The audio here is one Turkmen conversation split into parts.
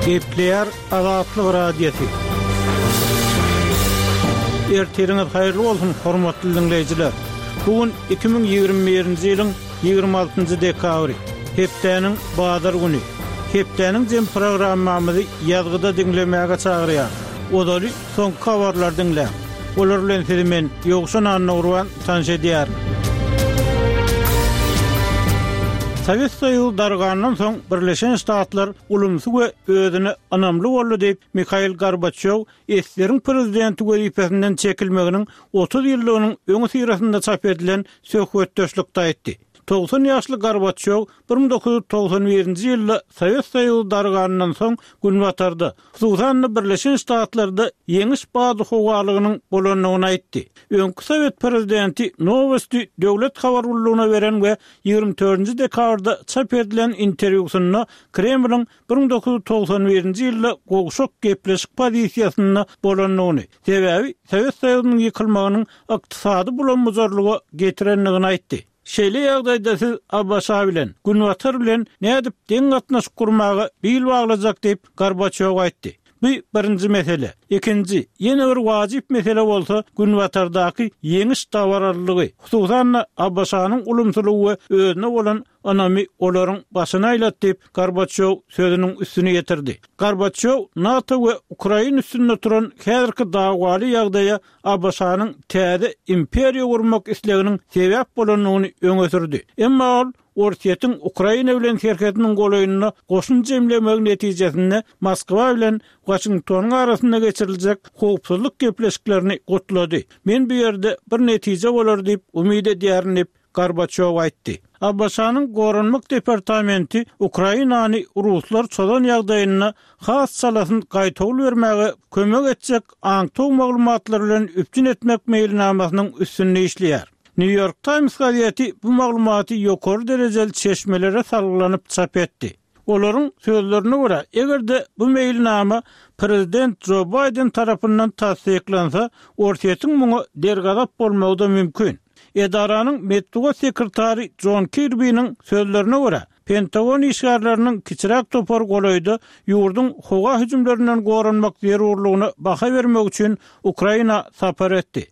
Gepleýär Azatlyk Radiosy. Ertiriňiz haýyrly bolsun, hormatly diňleýjiler! Bu gün 2021-nji ýylyň 26-njy dekabry, hepdäniň bazar güni. Hepdäniň jem programmamyzy ýazgyda diňlemäge çagyrýarys. Ozaly soňky habarlary diňläň. Olar bilen sizi men, Ýowşan Annagurban, tanyş edýärin. Sowet Soýuzy dargandan soň Birleşen Ştatlar ulumsy we özüne ynamly boldy diýip, Mihail Gorbaçýow ssr-iň prezidenti wezipesinden çekilmeginiň 30 ýyllygynyň öňüsyrasynda çap edilen söhbetdeşlikde aýtdy. 90 ýaşly Gorbaçýow 1991-nji ýylda Sowet Soýuzy darganyndan soň Günbatarda, hususan-da Birleşen Ştatlarda ýeňiş badyhowalygynyň bolandygyny aýtdy. Öňki sowet prezidenti Nowosti döwlet habar gullugyna beren we 24-nji dekabrda çap edilen interwýusynda Kremliň 1991-nji ýylda gowşak gepleşik pozisiýasynda bolandygyny, sebäbi Sowet Soýuzynyň ýykylmagynyň ykdysady bulam-bujarlyga getirendigini aýtdy. Şeýle ýagdaýda siz ABŞ bilen, Günbatar bilen nädip deň gatnaşyk gurmaga bil baglajak diýip, Gorbaçýow aýtdy. Bu birinji mesele. Ikinji, ýene bir wajyp mesele bolsa Günbatardaky ýeňiş dabaralylygy, hususan-da ABŞ-nyň ulumsylygy we özüne bolan ynamy olaryň başyny aýlady diýip, Gorbaçýow sözüniň üstüni ýetirdi. Gorbaçýow NATO we Ukraina üstünde turan häzirki dawaly ýagdaýa ABŞ-nyň täze imperiýa gurmak isleginiň sebäp bolandygyny öňe sürdi. Emma ol Orsýetiň Ukraina bilen serhediniň golaýynda goşun jemlemegi netijesinde Moskwa bilen Waşingtonyň arasynda geçiriljek howpsuzlyk gepleşiklerini gutlady. Men bu ýerde bir netije bolar diýip umyt edýärin diýip, Gorbaçýow aýtdy. ABŞ-nyň Goranmak departamenti Ukrainany ruslar çozan ýagdaýynda has çalasyn gaýtawul bermäge kömek etjek aňtaw maglumatlary bilen üpjün etmek meýilnamasynyň üstünde işleýär. New York Times gazeti bu maglumaty ýokary derejeli çeşmelere salgylanyp çap etdi. Olaryň sözlerine görä, eger-de bu meýilnama prezident Jo Baýden tarapyndan tassyklansa, Orsýetiň muňa dergazap bolmagy-da mümkin. Edaranyň metbugat sekretary Jon Kirbiniň sözlerine görä, Pentagon işgärleriniň kiçiräk topary golaýda ýurduň howa hüjümlerinden goranmak zerurlygyna baha bermek üçin Ukraina sapar etdi.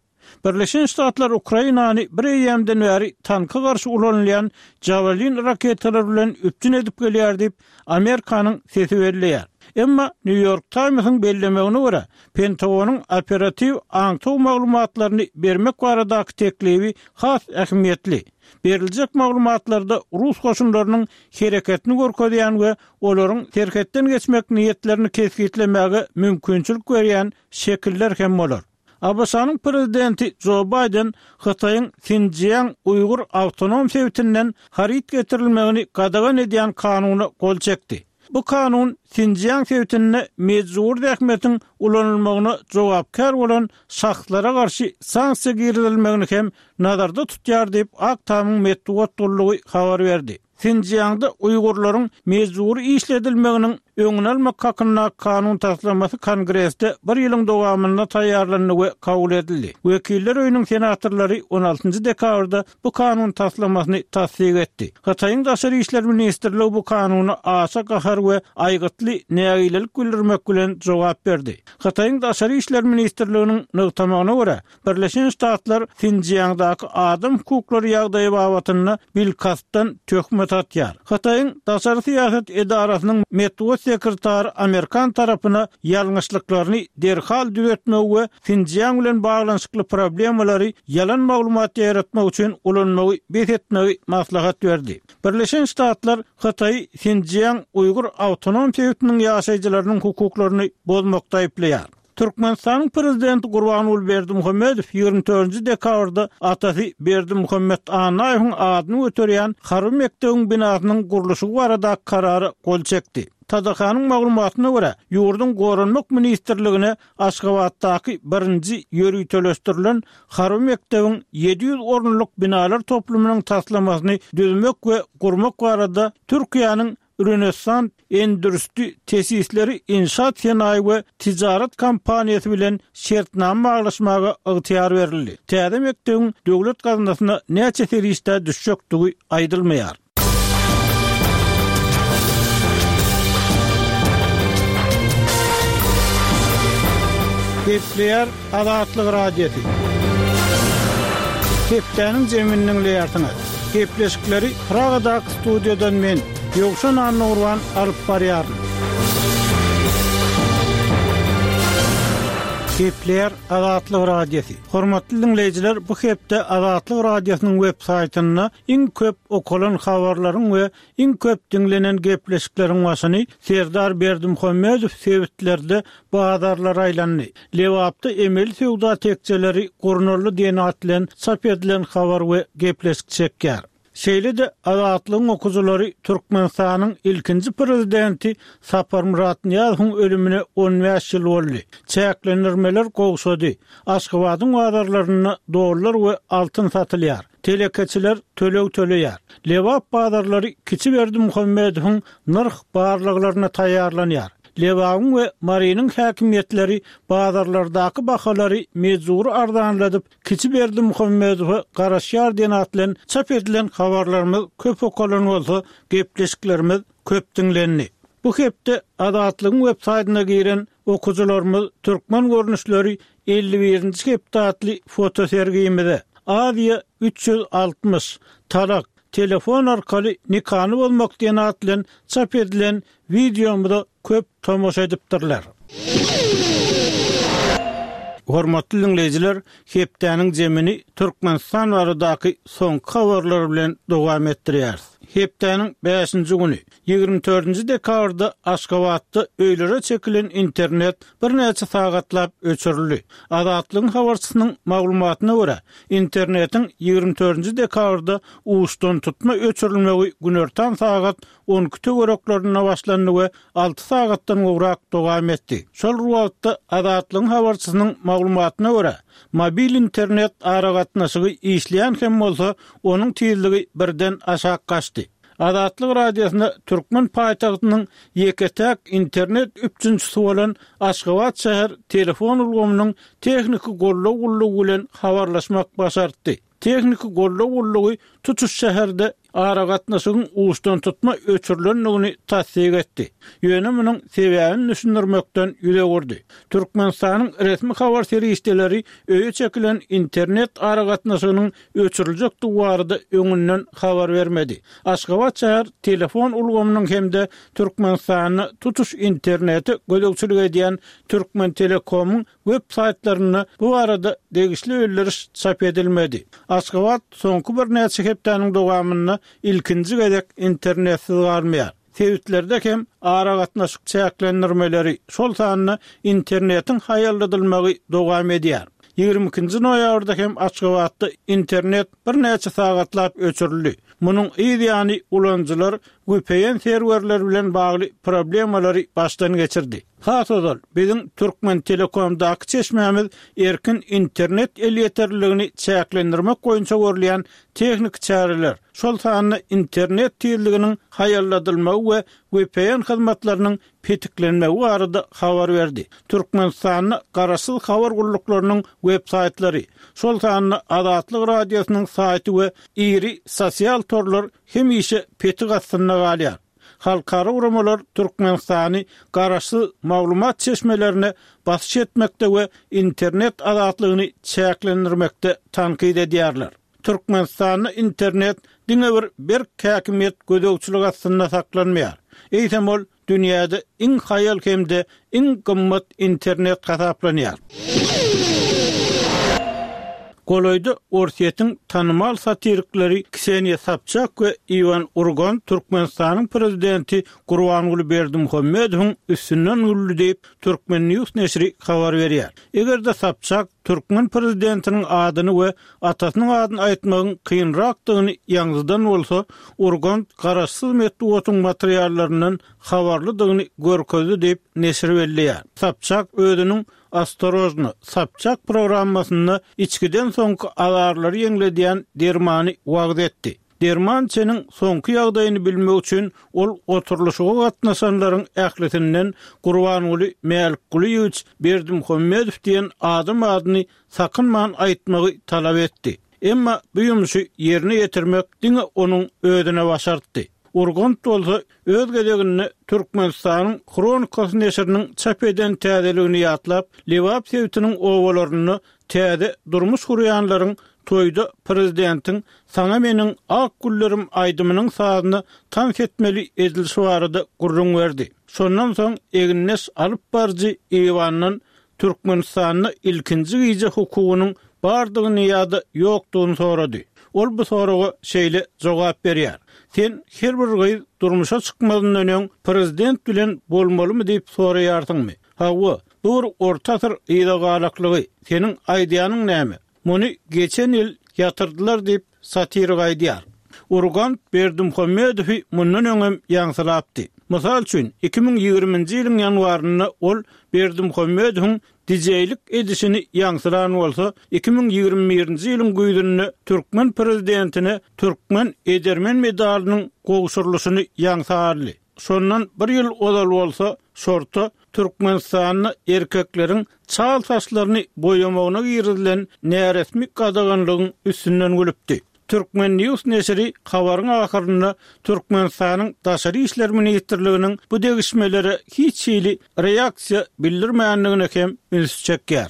Birleşen Ştatlar Ukrainany bir eýýämden bäri tanka garşy ulanylýan Javelin raketalary bilen üpjün edip gelýär diýip, Amerikanyň sesi belleýär. Emma New York Times-iň bellemegine görä, Pentagonyň operatiw aňtaw maglumatlaryny bermek baradaky teklibi has ähmiýetli. Beriljek maglumatlarda rus goşunlarynyň hereketini görkezýän we olaryň serhetden geçmek niýetlerini kesgitlemäge mümkinçilik berýän şekiller hem bolar. ABŞ-nyň prezidenti Jo Baýden Hytaýyň Sinjiang uýgur awtonom sebitinden haryt getirilmegini gadagan edýän kanuna gol çekdi. Bu kanun Sinjiang sebitinde mejbury zähmetiň ulanylmagyna jogapkär bolan şahslara garşy sanksiýa girizilmegini hem nazarda tutýar diýip, Ak Tamyň metbugat gullugy habar berdi. Sinjiangda uýgurlaryň mejbury işledilmeginiň öňüni almak hakyndaky kanun taslamasy Kongresde bir ýylyň dowamynda taýýarlandy we kabul edildi. Wekiller öýüniň senatorlary on altynjy dekabrda bu kanun taslamasyny tassyk etdi. Hytaýyň Daşary işler ministrligi bu kanuna aşa gahar we aýgytly nägilelik bildirmek bilen jogap berdi. Hytaýyň Daşary işler ministrliginiň nygtamagyna görä, Birleşen Ştatlar Sinjiangdaky adam hukuklary ýagdaýy babatynda bilkastdan töhmet atýar. Hytaýyň daşary syýasat edarasynyň metbugat sekretary amerikan tarapyna ýalňyşlyklaryny derhal düzetmegi we Sinjiang bilen baglanyşykly problemalary ýalan maglumat ýaýratmak üçin ulanmagy bes etmegi maslahat berdi. Birleşen Ştatlar Hytaýy Sinjiang uýgur awtonom sebitiniň ýaşaýjylarynyň hukuklaryny bozmakda aýyplaýar. Türkmenistanyň Prezidenti Gurbanguly Berdimuhamedow 24-nji dekabrda atasy Berdimuhamet Annaýewiň adyny göterýän harby mekdebiň binasynyň gurluşygy baradaky karara gol çekdi. TDH-nyň maglumatyna görä, ýurduň Goranmak ministrligine Aşgabatdaky birinji ýöriteleşdirilen harby mekdebiň 700 orunlyk binalar toplumynyň taslamasyny düzmek we gurmak barada Türkiýäniň Rönessan Endüstri Tesisleri Inşaat Senaýy we Tijaret kompaniýasy bilen şertnama baglaşmaga ygtyýar berildi. Täze mekdebiň döwlet gaznasyna näçe serişdä düşjekdigi aýdylmaýar. Gepleýär Azatlyk Radiosy. Hepdäniň jemini diňleýärsiňiz. Gepleşikleri Pragadaky studiýadan men, Ýowşan Annagurban alyp barýaryn. Gepleýär Azatlyk Radiosy. Hormatly diňleýjiler, bu hepde Azatlyk Radiosynyň web saýtynda iň köp okalan habarlaryň we Iň köp diňlenen gepleşikleriň başyny Serdar Berdimuhamedow sebitlerde bazarlara aýlandy. Lebapda emeli söwda tekjeleri gurnaldy diýen at bilen çap edilen habar we gepleşik çekýär. Şeýle-de Azatlygyň okyjylary Türkmenistanyň ilkinji prezidenti Saparmyrat Nyýazowyň ölümine 15 ýyl boldy. Çäklendirmeler gowşady. Aşgabadyň bazarlarynda dollar we altyn satylýar. Telekeçiler töleg töleýär. Lebap bazarlary kiçi Berdimuhamedowyň nyrh barlaglaryna taýýarlanýar. Lebabyň we Marynyň häkimiýetleri bazarlardaky bahalary mejbury arzanladyp, kiçi Berdimuhamedowa garaşýar diýen at bilen çap edilen habarlarymyz köp okalan bolsa, gepleşiklerimiz köp diňlendi. Bu hepde Azatlygyň websaýtyna giren okyjylarymyz türkmen görnüşleri 51-nji hepde atly fotosergimize, Aziýa 360, Talak, telefon arkaly nikany bozmak diýen at bilen çap edilen wideomyza köp tomaşa edipdirler. Hormatly diňleýjiler, hepdäniň jemini Türkmenistan baradaky soňky habarlar bilen dowam etdirýäris. Hepdäniň bäşinji güni, 24-nji dekabrda Aşgabatda öýlere çekilen internet birnäçe sagatlap öçürildi. Azatlygyň habarçysynyň maglumatyna görä, internetiň 24-nji dekabrda uçdantutma öçürilmegi günortan sagat 12 töwereklerinde başlandy we alty sagatdan gowrak dowam etdi. Şol bir wagtda, Azatlygyň habarçysynyň maglumatyna görä, mobil internet aragatnaşygy işleýän hem bolsa, onuň tizligi birden aşak gaçdy. Azatlyk Radiosyna türkmen paýtagtynyň ýeke-täk internet üpjünçisi bolan Aşgabat şäher telefon ulgamynyň tehniki goldaw gullugy bilen habarlaşmak başartdy. Tehniki goldaw gullugy tutuş şäherde aragatnaşygyň uçdantutma öçürilendigini tassyk etdi. Ýöne munuň sebäbini düşündirmekden ýüz öwürdi. Türkmenistanyň resmi habar serişdeleri öýe çekilen internet aragatnaşygynyň öçüriljekdigi barada öňünden habar bermedi. Aşgabat şäher telefon ulgamynyň hem-de Türkmenistanda tutuş internete gözegçilik edýän Türkmentelekomyň web saýtlarynda bu barada degişli bildiriş çap edilmedi. Aşgabat soňky birnäçe hepdäniň dowamynda ilkinji gezek internetsiz galmaýar. Sebitlerde hem aragatnaşyk çäklendirmeleri, şol sanda internetiň haýalladylmagy dowam edýär. 22-nji noýabrda hem Aşgabatda internet birnäçe sagatlap öçürildi. Munuň yz ýany ulanyjylar vpn serwerleri bilen bagly problemalary başdan geçirdi. Has ozal, biziň Türkmentelekomdaky çeşmämiz erkin internet elýeterliligini çäklendirmek boýunça görülýän tehniki çäreler, şol sanda internet tizliginiň haýalladylmagy we vpn hyzmatlarynyň petiklenmegi barada habar berdi. Türkmenistanda garaşsyz habar gulluklarynyň web-saýtlary, şol sanda Azatlyk Radiosynyň saýty we iri sosial torlar hemişe petik astynda galýar. Halkara guramalar Türkmenistany garaşsyz maglumat çeşmelerine basyş etmekde we internet azatlygyny çäklendirmekde tankyt edýärler. Türkmenistanda internet diňe bir berk häkimiýet gözegçilik astynda saklanmaýar, eýsem ol dünýäde iň haýal hem-de iň gymmat internet hasaplanýar. Golaýda Orsýetiň tanymal satirikleri Kseniýa Sobçak we Iwan Urgant Türkmenistanyň prezidenti Gurbanguly Berdimuhamedowyň üstünden güldi diýip, Turkmen News neşiri habar berýär. Eger-de Sobçak türkmen prezidentiniň adyny we atasynyň adyny aýtmagyň kynrakdygyny ýaňzydan bolsa, Urgant garaşsyz metbugatyň materiallaryndan habarlydygyny görkezdi diýip, neşir belleýär. Sobçak özüniň Ostorojno, Sobçak programmasynda içgiden soňky azarlary ýeňledýän dermany wagyz etdi. Derman içeniň soňky ýagdaýyny bilmek üçin ol oturylyşyga gatnaşanlaryň ählisinden Gurbanguly Mälikgulyýewiç Berdimuhamedow diýen adam adyny sakynman aýtmagy talap etdi. Emma bu ýumşy ýerine ýetirmek diňe onuň özüne başartdy. Urgant bolsa öz gezeginde Türkmenistanyň Hronikasy neşiriniň çap eden täzeligini ýatlap, Lebap sebitiniň obalarynda täze durmuş gurýanlaryň toýda prezidentiň Saňa meniň ak güllerim aýdymynyň sazyna tans etmeli edilişi barada gürrüň berdi. Şondan soň egindeş alyp baryjy Iwandan Türkmenistanda ilkinji gije hukugynyň bardygyny ýa-da ýokdugyny sorady. Ol bu soraga şeýle jogap berýär, Sen her bir gyz durmuşa çykmazyndan öň prezident bilen bolmalymy diýip soraýarsyňmy? Hawa, bu bir orta asyr yzagalaklygy. Seniň aýdýanyň näme? Muny geçen ýyl ýatyrdylar diýip, satirik aýdýar. Urgant Berdimuhamedowy mundan öňem ýaňsylapdy. Mysal üçin, 2020-nji ýylyň ýanwarynda ol Berdimuhamedowyň dijeýlik edişini ýaňsylan bolsa, 2021-nji ýylyň güýzünde türkmen prezidentine Türkmen edermen medalynyň gowşurylyşyny ýaňsa aldy. Şondan bir ýyl ozal bolsa, şorta Türkmenistanda erkekleriň çal saçlaryny boýamagyna girizilen näresmi gadaganlygyň üstünden gülüpdi. Turkmen. News neşiri habaryň ahyrynda Türkmenistanyň Daşary işler ministrliginiň bu degişmelere hiç hili reaksiýa bildirmändigine hem ünsi çekýär.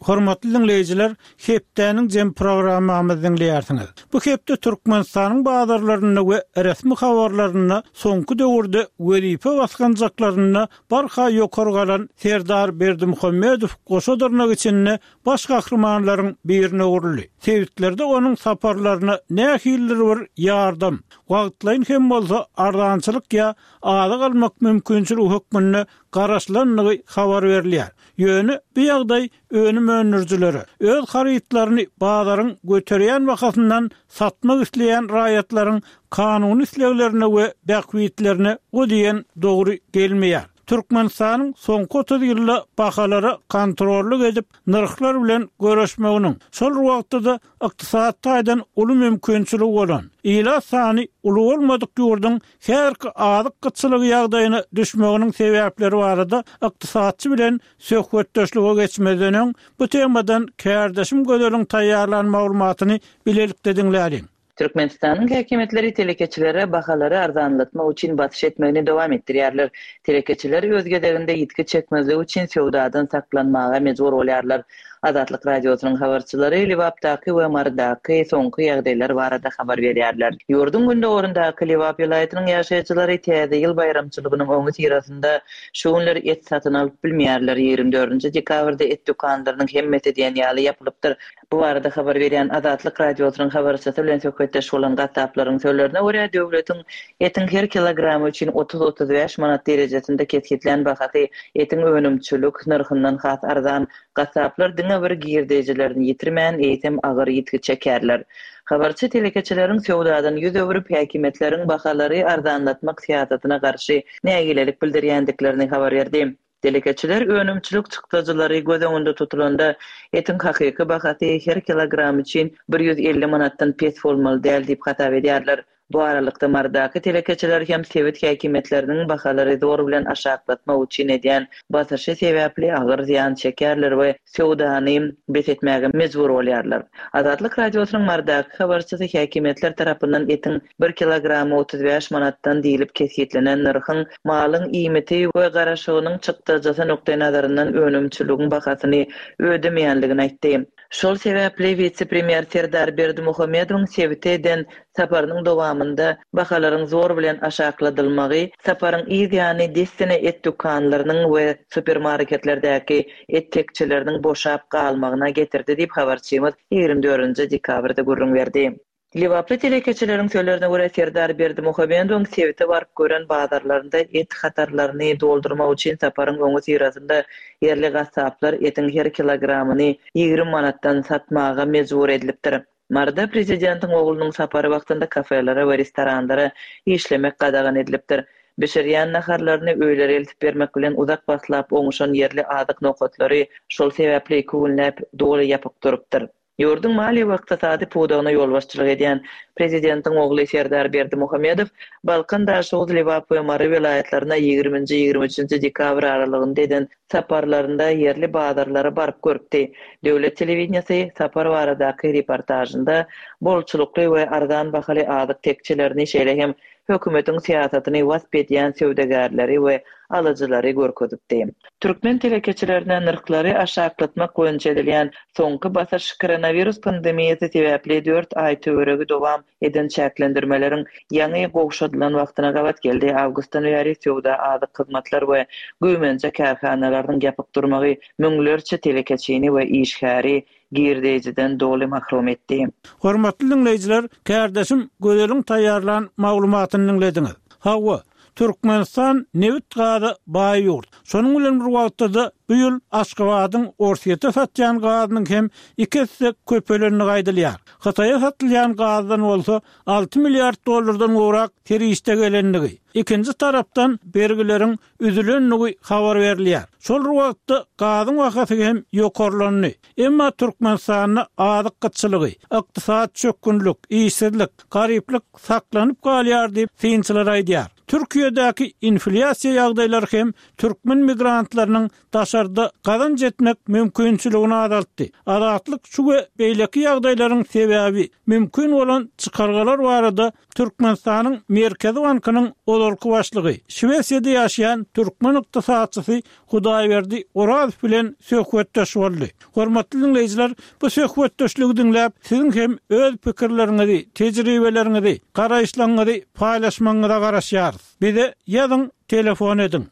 Hormatly diňleýjiler, Hepdäniň jemi programmamyzy diňleýärsiňiz. Bu hepde Türkmenistanyň bazarlarynda we resmi habarlarynda soňky döwürde wezipe basgançaklarynda barha ýokary galan Serdar Berdimuhamedow goşa dyrnak içinde baş gahrymanlaryň birine öwrüldi. Sebitlerde onuň saparlaryna nähilidir bir ýardam, wagtlaýyn hem bolsa arzançylyk ýa azyk almak mümkinçiligi hökmünde garaşylandygy habar berilýär. Ýöne bu ýagdaý önüm öndürijilere, öz harytlaryny bazaryň göterýän bahasyndan satmak isleýän raýatlaryň kanuny isleglerine we bähbitlerine o diýen dogry gelmeýär. Türkmenistanyň soňky 30 ýylda bahalara kontrollyk edip, nyrhlar bilen göreşmeginiň, şol bir wagtda-da ykdysady taýdan uly mümkinçiligi bolan, ilat sany uly bolmadyk ýurduň häzirki azyk gytçylygy ýagdaýyna düşmeginiň sebäpleri barada ykdysatçy bilen Söhbetdeşlige geçmezden öň, bu temadan kärdeşim Gözeliň taýýarlan maglumatyny bilelikde diňläliň. Türkmenistanyň häkimiýetleri telekeçilere bahalary arzanlatmak üçin basyş etmegini dowam etdirýärler. Telekeçiler öz gezeginde ýitgi çekmezlik üçin söwdadan saklanmaga mejbur bolýarlar. Azatlyk Radiosynyň habarçylary Lebapdaky we Marydaky soňky ýagdaýlar barada habar berýärler. Ýurduň gündogaryndaky Lebap welaýatynyň ýaşaýjylary Täze ýyl baýramçylygynyň öňüsyrasynda şu günler et satyn alyp bilmeýärler. 24-nji dekabrda et dükanlarynyň hemmesi diýen ýaly ýapylypdyr. Bu barada habar berýän Azatlyk Radiosynyň habarçysy bilen söhbetdeş bolan gassaplaryň sözlerine görä, döwletiň etiň her kilogramy üçin otuz-otuz bäş manat derejesinde kesgitlän bahasy etiň önümçilik nyrhyndan has arzan. Gassaplar diňe bir girdejilerini ýitirmän, eýsem agyr ýitgi çekerler. Habarçy telekeçileriň söwdadan ýüz öwrüp, häkimiýetleriň bahalary arzanlatmak syýasatyna garşy nägilelik bildirýändiklerini habar berdi. Telekeçiler önümçilik çykdajylary göz öňünde tutulanda, etiň hakyky bahasy her kilogram üçin 150 manatdan pes bolmaly däl diýip hasap edýärler. Bu aralykda, Marydaky telekeçiler hem sebit häkimiýetleriniň bahalary zor bilen aşaklatmak üçin edýän basyşy sebäpli agyr zyýan çekýärler we söwdany bes etmäge mejbur bolýarlar. Azatlyk Radiosynyň Marydaky habarçysy häkimiýetler tarapyndan etiň bir kilogramy 35 manatdan diýlip kesgitlenen nyrhyň malyň iýmiti we garaşygynyň çykdajysy nukdaýnazaryndan önümçiligiň bahasyny ödemeýänligini aýtdy. Şol sebäpli wise-premýer Serdar Berdimuhamedowyň sebite eden saparynyň dowamynda bahalaryň zor bilen aşakladylmagy, saparyň yz ýany dessine et dükanlarynyň we supermarketlerdäki et tekjeleriniň boşap galmagyna getirdi diýip, habarçymyz 24-nji dekabrda gürrüň berdi. Lebaply telekeçileriň sözlerine görä, Serdar Berdimuhamedowyň sebite baryp gören bazarlarynda et hatarlaryny doldurmak üçin saparyň öňüsyrasynda ýerli gassaplar etiň her kilogramyny 20 manatdan satmaga mejbur edilipdir. Maryda prezidentiň oglunyň sapary wagtynda kafelere we restoranlara işlemek gadagan edilipdir. Bişirýän naharlaryny öýlere eltip bermek bilen uzak wagtlap oňuşan ýerli azyk nokatlary şol sebäpli iki günläp doly ýapyk durupdyr. Ýurduň maliýe we ykdysady pudagyna ýolbaşçylyk edýän Prezidentiň ogly Serdar Berdimuhamedow Balkan, Daşoguz, Lebap we Mary welaýatlaryna ýigriminji, 23-nji dekabr aralygynda eden saparlarynda ýerli bazarlara baryp görüpdi. Döwlet telewideniýesi sapar baradaky reportažynda bolçulykly we arzan bahaly azyk tekjelerini, şeýle hem hökümetiň syýasatyny wasp edýän söwdagärleri we alyjylary görkezipdi. Türkmen telekeçilerine nyrhlary aşaklatmak boýunça edilýän soňky basyş koronawirus pandemiýasy sebäpli dört aý töweregi dowam eden çäklendirmeleriň ýaňy gowşadylan wagtyna gabat geldi. Awgustdan bäri söwda, azyk, hyzmatlar we güýmenje kärhanalarynyň ýapyk durmagy müňlerçe telekeçini we işgäri girdeýjiden doly mahrum etdi. Hormatly diňleýjiler, kärdeşim Gözeliň taýýarlan maglumatyny diňlediňiz. Hawa, Türkmenistan nebit-gaza baý ýurt. Şonuň bilen bir wagtda-da bu ýyl Aşgabadyň Orsýete satýan gazynyň hem iki esse köpelendigi aýdylýar. Hytaýa satylýan gazdan bolsa 6 milliard dollardan gowrak serişde gelendigi, ikinji tarapdan bergileriň üzülendigi habar berilýär. Şol bir wagtda gazyň bahasy hem ýokarlandy. Emma Türkmenistanda azyk gytçylygy, ykdysady çökgünlik, işsizlik, garyplyk saklanyp galýar diýip, synçylar aýdýar. Türkiýedäki inflýasiýa ýagdaýlary hem türkmen migrantlarynyň daşarda gazanç etmek mümkinçiligini azaltdy. Azatlyk şu we beýleki ýagdaýlaryň sebäbi, mümkin bolan çykalgalar barada Türkmenistanyň Merkezi bankynyň ozalky başlygy, Şwesiýada ýaşaýan türkmen ykdysatçysy Hudaýberdi Orazow bilen söhbetdeş boldy. Hormatly diňleýjiler, bu söhbetdeşligi diňläp, siziň hem öz pikirleriňizi, tejribeleriňizi, garaýyşlaryňyzy paýlaşmagyňyza garaşýarys. Bize ýazyň, telefon ediň.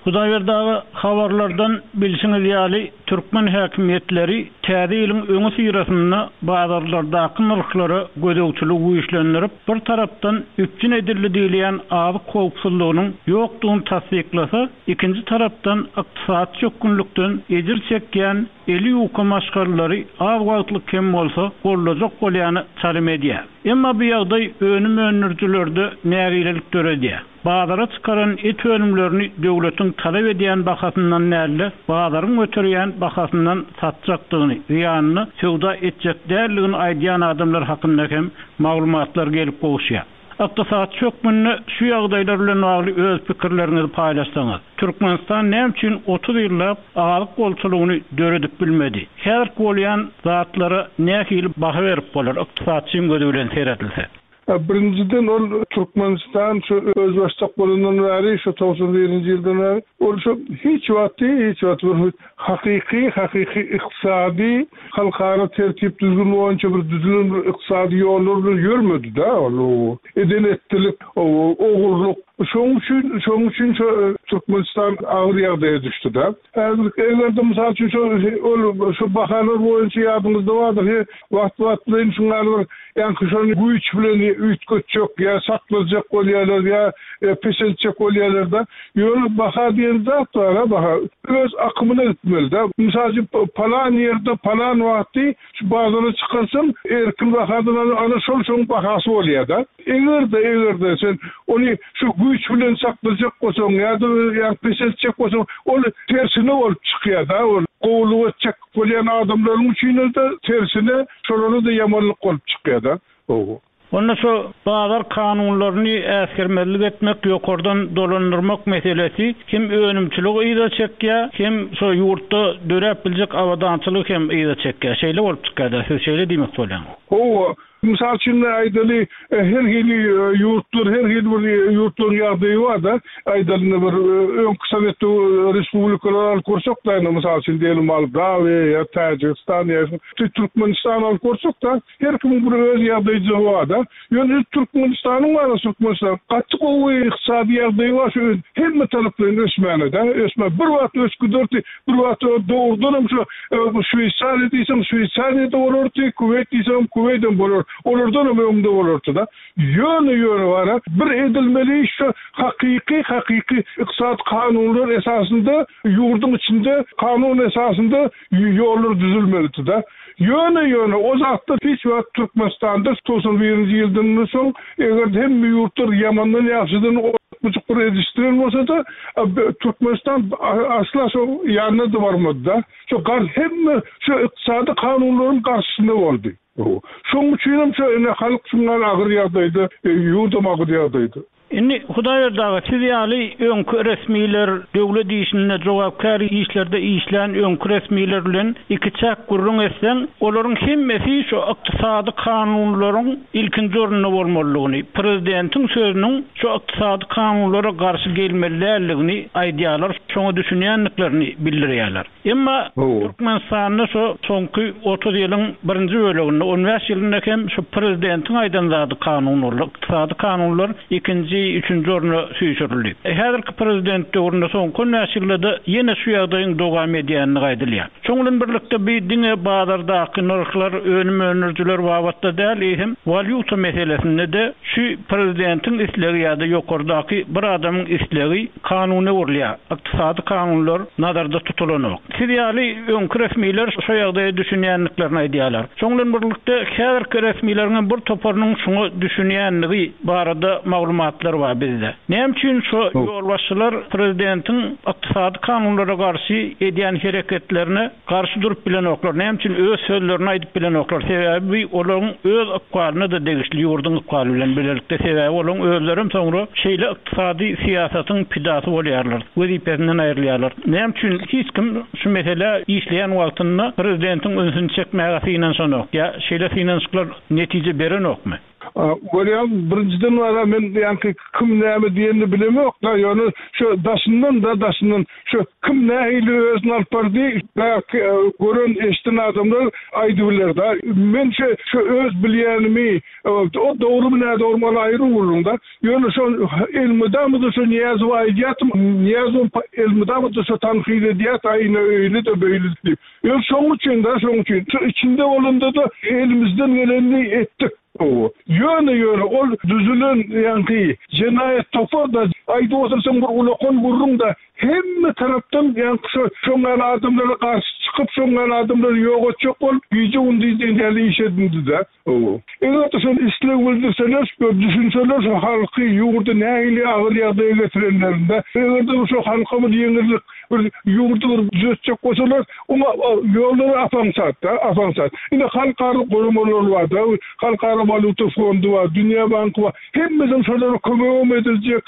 Hudaýberdi aga, habarlardan bilşiňiz ýaly, türkmen häkimiýetleri täze ýylyň öňüsyrasynda bazarlardaky nyrhlara gözegçiligi güýçlendirip, bir tarapdan üpjün edildi diýilýän azyk howpsuzlygynyň ýokdugyny tassyklasa, ikinji tarapdan ykdysady çökgünlikden ejir çekýän eli ýuka maşgalalary az wagtlyk hem bolsa goldajak bolýana çalym edýär. Emma bu ýagdaý önüm öndürijilerde nägilelik döredýär. Bazara çykaran et önümlerini döwletiň talap edýän bahasyndan däl-de, bazaryň göterýän bahasyndan satjakdygyny, zyýanyna söwda etjek däldigini aýdýan adamlar hakynda hem maglumatlar gelip gowuşýar. Ykdysatçy hökmünde şu ýagdaýlar bilen bagly öz pikirleriňizi paýlaşsaňyz. Türkmenistan näme üçin 30 ýyllap azyk bolçulygyny döredip bilmedi? Häzirki bolýan zatlara nähili baha berip bolar, ykdysatçyň gözi bilen seredilse? Birinjiden ol Türkmenistan şu özbaşdak bolandan bäri şu 91-nji ýyldan bäri ol şu hiç wagty hiç wagt bir hakyky hakyky ykdysady halkara tertip düzgün boýunça bir düzülen bir ykdysady ýollar bilen ýörmedi-de ol eden etdilik ogurlyk şoň üçin şoň üçin şu Türkmenistan agyr ýagdaýa düşdi-de. Häzir eger-de mysal üçin şu ol şu bahalar boýunça ýadyňyzda bardyr he wagt-wagtlaýyn şuň ýaly bir ýaňky şony güýç bilen üýtgetjek ýa saklajak bolýarlar ýa peseltjek bolýarlar-da. Ýöne baha diýen zat bar-a baha öz akymyna gitmeli-dä. Mysal üçin palan ýerde palan wagty Şu bazara çykarsaň, erkin bahadan al, ana şol şoň bahasy bolýar-da. Eger-de, eger-de sen ony şu güýç bilen saklajak bolsaň ýa-da ýa peseltjek bolsaň, ol tersine bolup çykýar-da, ol gowulyk etjek bolýan adamlaryň üçin-de tersine, şolara-da ýamanlyk bolup çykýar-da. Hawa. Onda şu bazar kanunlaryny äsgermezlik etmek, ýokardan dolandyrmak meselesi hem önümçiligi yza çekýär, hem şo ýurtda döräp biljek abadançylygy hem yza çekýär. Şeýle bolup çykýar-da, siz şeýle diýmek bolýaňyz. Hawa, mysal üçin aýdaly, her hili ýurtlar, her hili bir ýurtlaryň ýagdaýy bar-da. Aýdaly indi bir öňki sowet respublikalary alyp görsek-de, indi mysal üçin diýeli Moldawiýa ýa Täjigistan ýa Türkmenistan alyp görsek-de, Her kimiň bir öz ýagdaýjygy bar-da. Ýöne Türkmenistanyň bar, Türkmenistan gaty gowy ykdysady ýagdaýy bar, şu hemme taraplaýyn ösmäne-de, ösmä. Bir wagt ösüp giderdi, bir wagt dogrudanam şu Şweýsariýa diýseň, Şweýsariýa-da bolardy, Kuweýt diýseňem, Kuweýdem bolar, olardanam öňde bolardy-da. Ýöne, ýöne bar-a, bir edilmeli iş şu hakyky, hakyky ykdysady kanunlar esasynda ýurduň içinde kanun esasynda ýollar düzülmelidi-de. Ýöne, ýöne o zatlar hiç wagt Türkmenistanda 91-nji ýyldan soň eger hemme ýurtlar ýamandan ýagşydan ozbujuk bir edişdiren bolsa-da, Türkmenistan asla şo ýanyna-da barmady-da. Şo gar hemme şo ykdysady kanunlaryň garşysynda boldy. Şoň üçinem şo ine halk şuňňal agyr ýagdaýda, ýurdam agyr ýagdaýda. Indi Hudaýberdi aga, siz ýaly öňki resmiler, döwlet işinde, jogapkär işlerde işlän öňki resmiler bilen ikiçäk gürrüň etseň, olaryň hemmesi şu ykdysady kanunlaryň ilkinji orunda bolmalydygyny, prezidentiň sözüniň şu ykdysady kanunlara garşy gelmeli däldigini aýdýarlar, şoňa düşünýändiklerini bildirýärler. Emma Türkmenistanda şu soňky 30 ýylyň birinji böleginde, 15 ýylynda hem şu prezidentiň aýdan zady kanun boldy. Ykdysady kanunlar ikinji, üçünji orna süýşürildi. Häzirki prezident döwründe soňky 15 ýylda-da ýene şu ýagdaýyň dowam edýändigi aýdylýar. Şonuň bilen birlikde bu diňe bazardaky nyrhlar, önüm öndürijiler babatda däl, eýsem walýuta meselesinde-de şu prezidentiň islegi ýa-da ýokardaky bir adamyň islegi kanuna öwrülýär. Ykdysady kanunlar nazarda tutulanok. Siz ýaly öňki resmiler şo ýagdaýa düşünýändiklerini aýdýarlar. Şoň bilen birlikde häzirki resmileriň hem bir toparynyň şuňa düşünýändigi barada maglumatlar bar bizde. Näme üçin şo ýolbaşçylar prezidentiň ykdysady kanunlara garşy edýän hereketlerine Garşy durup bilenoklar. Näme üçin öz sözlerini aýdyp bilenoklar? Sebäbi bu olaryň öz ykbalyna-da degişli, ýurduň ykbaly bilen bilelikde. Sebäbi olaryň özlerem soňra şeýle ykdysady syýasatyň pidasy bolýarlar, wezipesinden aýrylýarlar. Näme üçin hiç kim şu meselä işleýän wagtynda prezidentiň ünsüni çekmäge synanyşanok ýa şeýle synanyşyklar netije berenokmy? Bolýa, birinjiden wara men ýaňky kim näme diýenini bilemok-da, ýöne şu daşyndan-da, daşyndan şu kim nähili özüni alyp bardy, bärki gören, eşiden adamlar aýdybiler-da. Men şu şu öz bilýänimi, o dogrumy, nädogrumy ol aýry gürrüň-da. Ýöne şo elmydama-da şo Nyýazowa aýdýardym, Nyýazow elmydama-da şo tankyt edýärdi, aý ine öýle-de, beýle-de diýip. Ýöne şoň üçin-de, şoň üçin, şu içinde bolanda-da elimizden gelenini etdik. Hawa. Ýöne, ýöne ol düzülen ýaňky jenaýat topar-da, aýdyp otursaň bir ulakan gürrüň-de, hemme tarapdan ýaňky şo, şoň ýaly adamlara garşy çykyp, şoň ýaly adamlary ýok etjek bolup, gije-gündiz diýen ýaly iş edindi-de. Hawa. Eger-de şol isleg bildirseler, düşünseler şu halky, ýurdy nähili agyr ýagdaýa getirenlerinde, eger-de şu halka bir ýeňillik, bir ýurdy bir düzetjek bolsalar, oňa ýollary ap-aňsat-da, ap-aňsat. Ine, halkara guramalar bar-da, Halkara walýuta fondy bar, Dünýä banky bar. Hemmesem şolara kömegem ediljek,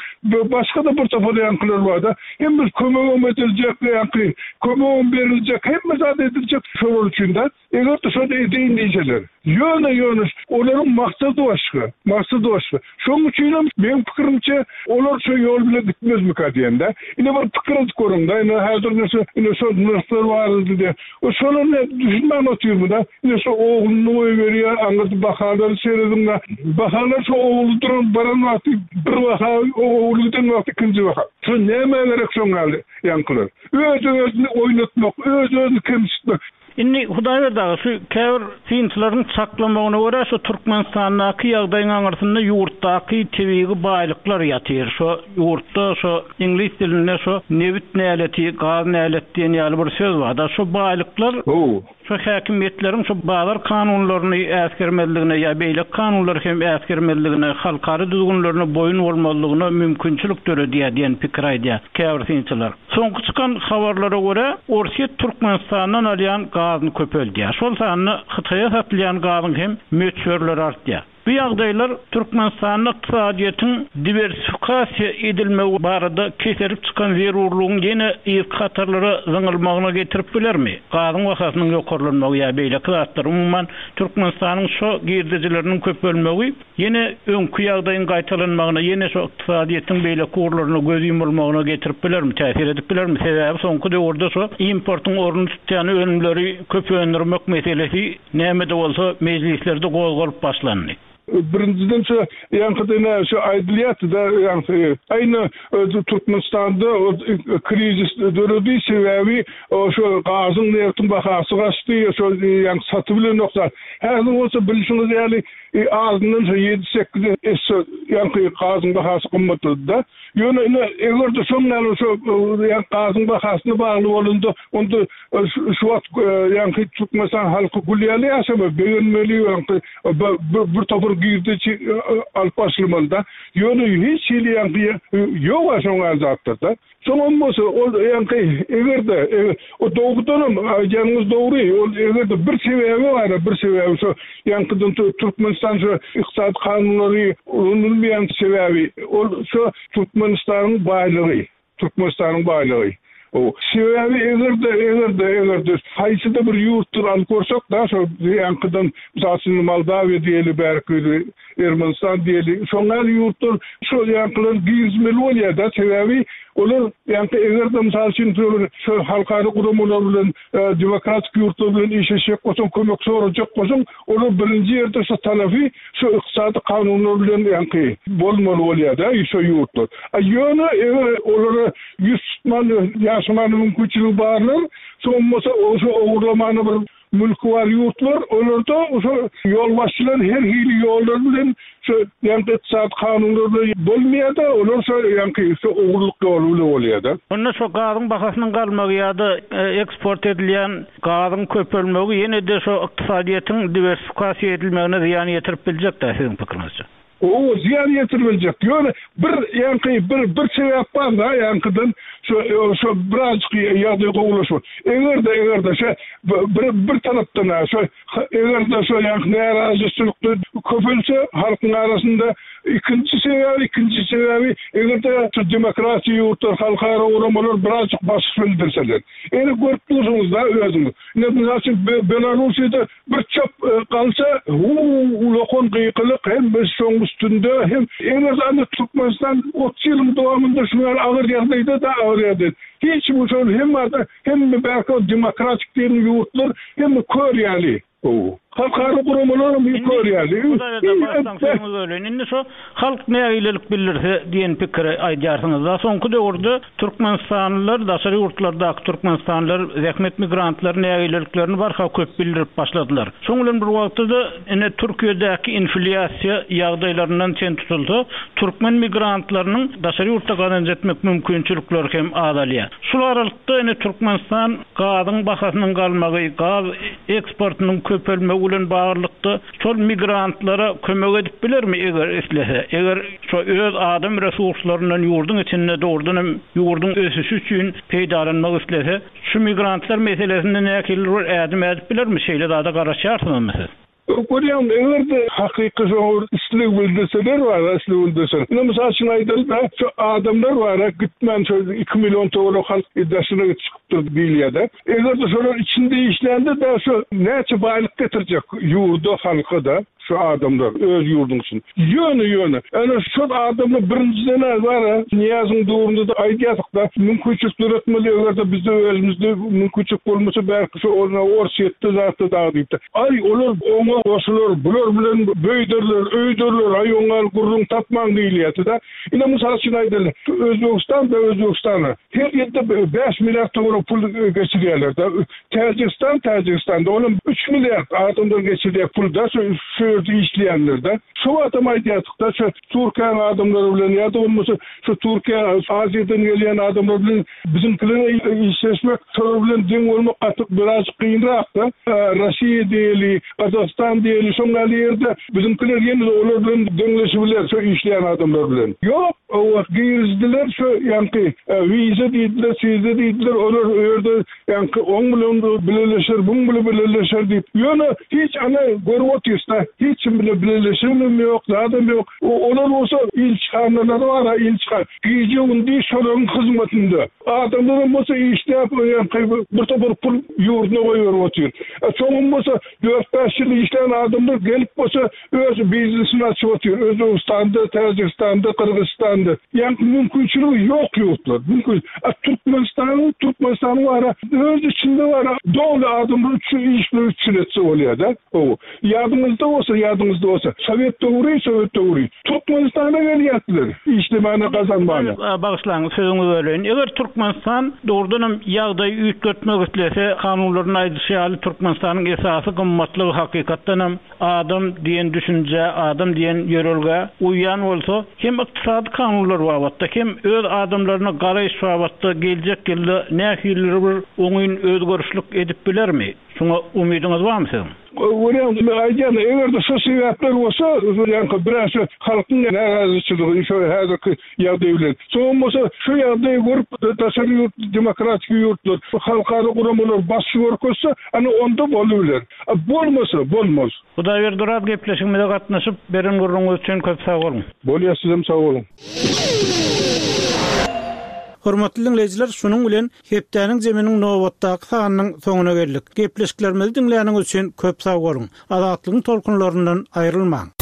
başga-da bir topar ýaňkylar bar-da. Hemmesi kömegem ediljek, ýaňky kömegem beriljek, hemme zat ediljek şolar üçin-de. Eger-de şony edeýin diýseler. Ýöne, ýöne olaryň maksady başga, maksady başga. Şonuň üçinem meň pikirimçe, olar şo ýol bilen gitmezmika diýen-dä. Ine bir pikir edip görüň-dä, ine häzir ine şu, ine şo nyrhlar barada diýýär. O şolar ne düşünmän otyrmy-da? Ine şo ogluny goýberýär, aňyrda bahalary serediň-dä. Bahalar şo ogly duran baran wagty bir baha, ogly giden wagty ikinji baha. Şo nämä gerek şoň ýaly ýaňkylar? Öz-özüni oýnatmak, öz-özüni kemsitmek. Indi Hudaýberdi aga, şu käbir synçylaryň çaklamagyna görä, şu Türkmenistandaky ýagdaýyň aňyrsynda ýurtdaky tebigy baýlyklar ýatyr. Şo ýurtda şo iňlis dilinde şo nebit näleti, gaz nälet diýen ýaly bir söz bar-da. Şo baýlyklar şo häkimiýetleriň şo bazar kanunlaryny äsgermezligine ýa beýleki kanunlary hem äsgermezligine, halkara düzgünlerine boýun bolmazlygyna mümkinçilik döredýär diýen pikiri aýdýar käbir synçylar. Soňky çykan habarlara görä, Orsýet Türkmenistandan alýan gazyny köpeldýär. Şol sanda Hytaýa satylýan gazyň hem möçberleri artýar. Bu ýagdaýlar Türkmenistanda ykdysadyýetiň diwersifikasiýa edilmegi barada keserip çykan zerurlygyň ýene yzky hatarlara zyňylmagyna getirip bilermi? Gazyň bahasynyň ýokarlanmagy ýa beýleki zatlar, umuman, Türkmenistanyň şo girdejileriniň köpelmegi Ýene öňki ýagdaýyň gaýtalanmagyna, ýene şu ykdysadyýetiň beýleki ugurlaryna göz ýumulmagyna getirip bilermi, täsir edip bilermi? Sebäbi soňky döwürde şu importyň ornuny tutýan önümleri köp öndürmek meselesi näme-de bolsa mejlislerde gozgalyp başlandy. Birinjiden şu ýaňkyda ine şu aýdylýardy-da ýaňky aýna Türkmenistanda krizis döredi sebäbi şu gazyň nebtiň bahasy gaçdy şo ýaňky satybilenok zat. Häzir bolsa bilşiňiz ýaly Azyndan şo ýedi-sekiz esse ýaňky gazyň bahasy gymmatlady-da. Ýöne ine, eger-de şoň ýaly şo ýaňky gazyň bahasyna bagly bolanda, onda şu wagt ýaňky Türkmenistan halky gül ýaly ýaşamaz, begenmeli ýaňky bir topar. girdeji alyp başlamaly-da. Ýöne hiç hili ýaňky ýog-a şoň ýaly zatlar-da. Soňam bolsa ol ýaňky eger-de o dogrudanam aýdýanyňyz dogry, ol eger-de bir sebäbi bar-a, bir sebäbi şo ýaňkydan Türkmenistan şo ykdysady kanunlary ulanylmaýan sebäbi ol şo Türkmenistanyň baýlygy. Türkmenistanyň baýlygy. O sebäbi eger-de, eger-de, eger-de haýsy-da bir ýurtdan alyp görsek da şo ýaňkydan mysal üçin Moldawiýa diýeli bärki Ermenistan diýeli şoň ýaly ýurtlar şo ýaňkylary girizmeli bolýar-da sebäbi olar ýaňky eger-de mysal üçin şo halkara guramalar bilen demokratik ýurtlar bilen işleşjek bolsaň kömek sorajak bolsaň olar birinji ýerde şo talapy Şu ykdysady kanunlar bilen ýaňky bolmaly bolýar-da şo ýurtlar. A ýöne eger olara ýüz tutman ýaşamana mümkinçiligi barlar, soň bolsa şo ogurlamana bir mülki bar ýurtlar, olarda şo ýolbaşçylar her hili ýollar bilen şo ýaňky ykdysady kanunlar bilen bolmaýar-da, olar şo ýaňky şo ogurlyk ýoly bilen bolýar-da. Onda şo gazyň bahasynyň galmagy ýa-da eksport edilýän Gazyň köpelmegi ýene-de şo ykdysadyýetiň diwersifikasiýa edilmegine zyýan ýetirip biljek-dä siziň pikiriňizçe? Hawa, zyýan ýetirip biljek. Ýöne bir ýaňky bir bir sebäp bar-da, ýaňkydan şo şo birazjyk ýagdaý gowulaşmak. Eger-de eger-de şo bir bir tarapdan-a şo eger-de şo ýaňky närazyçylyk köpelse halkyň arasynda ikinji sebäbi ikinji sebäbi eger-de şo demokratiýa ýurtlar halkara guramalar birazjyk basyş bildirseler. Ine görüp dursuňyz-da özüňiz. Ine mysal üçin Belarussiýada bir çöp galsa, hu-u ulakan gykylyk hemmesi şoň üstünde hem eger indi Türkmenistan 30 ýylyň dowamynda şu ýaly agyr ýagdaýda-da agyr ýagdaý. Hiç kim şol hemme adam hemme bärki demokratik diýen ýurtlar hemme kör ýaly. Halkara guramalaram kör ýaly. Indi şo halk nägilelik bildirse diýen pikiri aýdýarsyňyzda. Soňky döwürde türkmenistanlylar, daşary ýurtlardaky türkmenistanlylar, zähmet migrantlary nägileliklerini barha köp bildirip başladylar. Şoň bilen bir wagtda-da ine Türkiýedäki inflýasiýa ýagdaýlaryndan çen tutulsa, türkmen migrantlarynyň daşary ýurtda gazanç etmek mümkinçilikleri hem azalýar. Şul aralykda ine Türkmenistan gazyň bahasynyň galmagy, gaz eksportynyň köpelmegi bilen baglylykda şol migrantlara kömek edip bilermi eger islese? Eger şo öz adam resurslaryndan ýurduň içinde dogrudan hem ýurduň ösüşi üçin peýdalanmak islese, şu migrantlar meselesinde nähilidir bir ädim ädip bilermi? Şeýle zada garaşýarsyňyzmy siz? Görýäňmi, eger-de hakyky şoňa bir isleg bildirseler bar-a, isleg bildirseler. Ine, mysal üçin aýdaly-da, şu adamlar bar-a, gitmän şo iki million töweregi halk daşyna çykypdyr diýilýär-de. Eger-de şolar içinde işlände-de şu näçe baýlyk getirjek ýurda, halka-da şu adamlar öz ýurduň içinde. Ýöne, ýöne, ene şol adamlar birinjiden-ä bar-a, Nyýazyň döwründe-de aýdýardyk-da, mümkinçilik döretmeli, eger-de bizde özümizde mümkinçilik bolmasa, bärki şo orna Orsýetde zatda dagy diýipdir. Aý, olar oňa goşular, bular bilen beýderler, öýderler, aý, oňa gürrüň tapmaň diýilýärdi-de. Ine, mysal üçin aýdaly, Özbegistan-da Özbegistana her ýylda bäş milliard töweregi pul geçirýärler-de. Täjigistan Täjigistanda olam üç milliard adamdan geçirýär pul-da, şu şu ýerde işleýänler-de. Şu wagtam aýdýardyk-da, şu Türkiýäniň adamlary bilen ýa-da bolmasa şu Türkiýä, Aziýadan gelýän adamlar bilen biziňkilere işleşmek, şolar bilen deň bolmak gaty birazjyk kynrak-da. Rossiýa diýeli, Gazagystan diýeli, şoň ýaly ýerde biziňkiler ýene-de olar bilen deňleşibiler, şo işleýän adamlar bilen. Ýok, o girizdiler şo ýaňky wiza diýdiler, siza diýdiler, olar o ýerde Ýaňky oň bilen bileleşer, buň bile bileleşer diýip, ýöne hiç ana görüp otyrys-da, hiç kim bile bileleşenem ýok, zadam ýok. Olar bolsa ilçihanalary bar-a, ilçihana. Gije-gündiz şolaryň hyzmatynda. Adamlaram bolsa işläp, ýaňky bir topar pul ýurduna goýberip otyr. Soňam bolsa dört-bäş ýyl işlän adamlar gelip bolsa Öz biznesini açyp otyr Özbegistanda, Täjigistanda, Gyrgyzystanda. Ýaňky mümkinçiligi ýok ýurtlar. Mümkin. A Türkmenistanyň, Türkmenistanyň bara öz içinde bara doly adamlar üçin iş bilen üpjün etse bolýar-da. Hawa. Ýadyňyzda bolsa, ýadyňyzda bolsa, sowet döwri, sowet döwri Türkmenistana gelýärdiler işlemäne, gazanmana. Bagyşlaň, sözüňizi böleýin. Eger Türkmenistan dogrudanam ýagdaýy üýtgetmek islese, kanunlarynda aýdyşy ýaly Türkmenistanyň esasy gymmatlygy hakykatdanam Adam diýen düşünjä, adam diýen ýörelgä uýýan bolsa, hem ykdysady kanunlar babatda, hem öz adamlaryna garaýyş babatda geljek ýylda nähilidir bir oňyn özgerişlik edip bilermi? Şuňa umydyňyz barmy siziň? Görýäň, men aýdýan, eger-de şo sebäpler bolsa, ýaňky biraz şo halkyň närazyçylygy şo häzirki ýagdaý bilen. Soňam bolsa şo ýagdaýy görüp daşary ýurt demokratiki ýurtlar, halkara guramalar basgy görkezse, ana onda bolubiler. A bolmasa, bolmaz. Hudaýberdi Oraz gepleşigimize gatnaşyp, beren gürrüňiňiz üçin köp sag boluň. Bolýa sizem sag boluň. Hormatly diňleýjiler, şunuň bilen Hepdäniň jeminiň nobatdaky sanynyň soňuna geldik. Gepleşiklerimizi diňläniňiz üçin köp sag boluň! Azatlygyň tolkunlaryndan aýrylmaň!